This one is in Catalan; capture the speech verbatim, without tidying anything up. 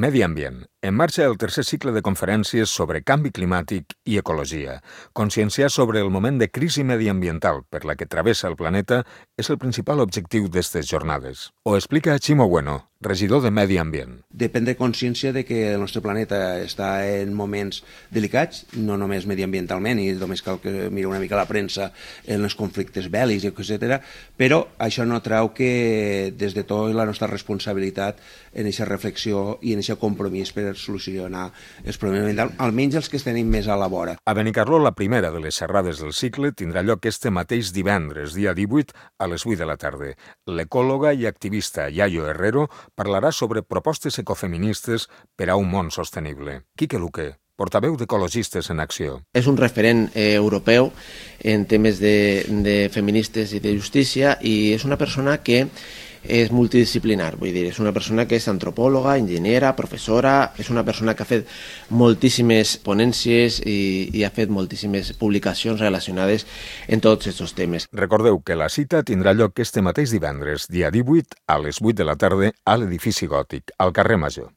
Medi ambient. En marxa el tercer cicle de conferències sobre canvi climàtic i ecologia. Conscienciar sobre el moment de crisi mediambiental per la que travessa el planeta és el principal objectiu d'aquestes jornades. Ho explica Chimo Bueno, regidor de Medi Ambient. De prendre consciència de que el nostre planeta està en moments delicats, no només mediambientalment, i només cal que miri una mica la premsa en els conflictes bèl·lics, etcètera, però això no treu que des de tot la nostra responsabilitat en aquesta reflexió i en aquest compromís per solucionar els problemes ambientals, almenys els que tenim més a la vora. A Benicarló, la primera de les xerrades del cicle tindrà lloc este mateix divendres, dia divuit, a les vuit de la tarda. L'ecòloga i activista Yayo Herrero parlarà sobre propostes ecofeministes per a un món sostenible. Quique Luque, portaveu d'Ecologistes en Acció. És un referent eh, europeu en temes de, de feministes i de justícia i és una persona que és multidisciplinar, vull dir, és una persona que és antropòloga, enginyera, professora, és una persona que ha fet moltíssimes ponències i, i ha fet moltíssimes publicacions relacionades en tots aquests temes. Recordeu que la cita tindrà lloc este mateix divendres, dia divuit, a les vuit de la tarda, a l'edifici Gòtic, al carrer Major.